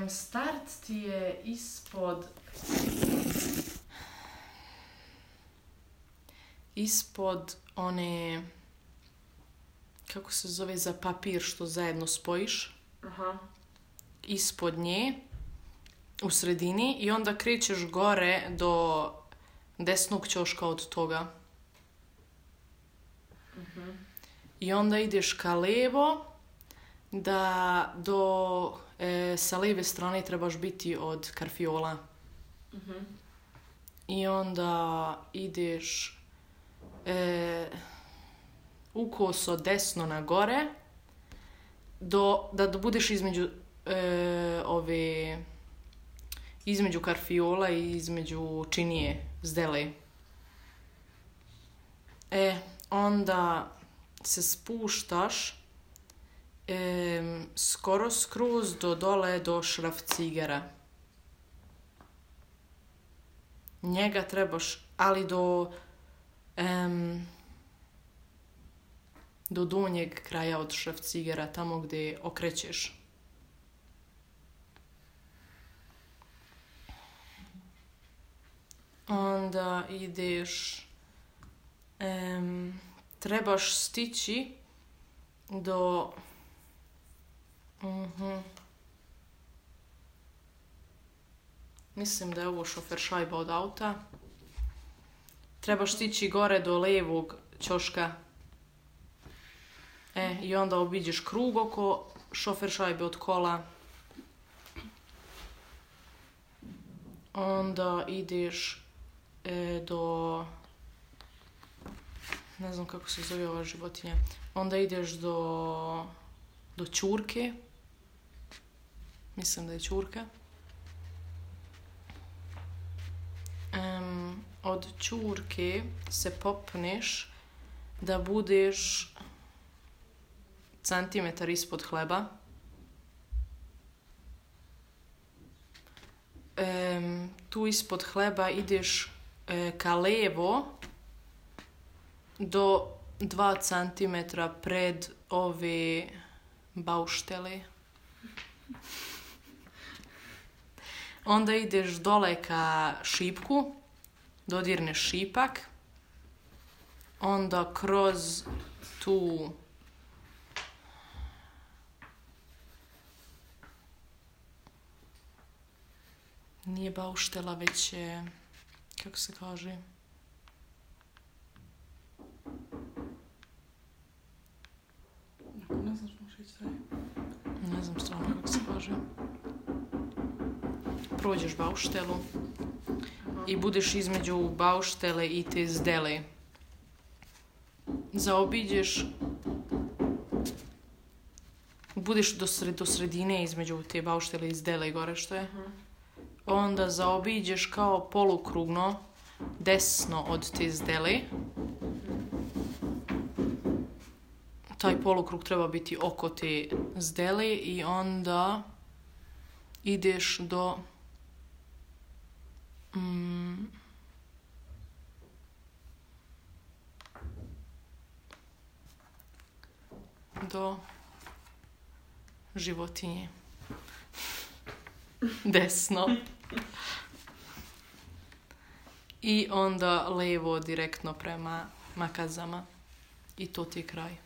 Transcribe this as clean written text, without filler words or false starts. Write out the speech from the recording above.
Start ti je ispod one, kako se zove, za papir što zajedno spojiš. Aha. Ispod nje, u sredini, i onda krećeš gore do desnog ćoška od toga. I onda ideš ka levo, da sa lijeve strane trebaš biti od karfiola. I onda ideš ukoso desno na gore, da budeš između karfiola i između činije zdele. Onda se spuštaš skoro skroz do dole do šrafcigera. Njega trebaš, ali do donjeg kraja od šrafcigera, tamo gdje okrećeš. Onda ideš, trebaš stići do mislim da je ovo šofer šajba od auta. Trebaš stići gore do lijevog ćoška. I onda obiđeš krug oko šofer šajbe od kola. Onda ideš do, ne znam kako se zove ova životinja. Onda ideš do ćurke. Mislim da je ćurka. Od ćurke se popneš da budeš centimetar ispod hleba. Tu ispod hleba ideš ka levo do 2 centimetra pred ove bauštele. Onda ideš dole ka šipku, dodirneš šipak, onda kroz tu nije bauštela, već je, kako se kaže, ne znam što možeš reći. Ne znam stvarno kako se kaže. Prođeš bauštelu i budeš između bauštele i te zdele. Zaobiđeš, budeš do sredine između te bauštele i zdele gore što je. Onda zaobiđeš kao polukrugno desno od te zdele. Taj polukrug treba biti oko te zdele i onda ideš do životinje. Desno. I onda levo direktno prema makazama. I to ti je kraj.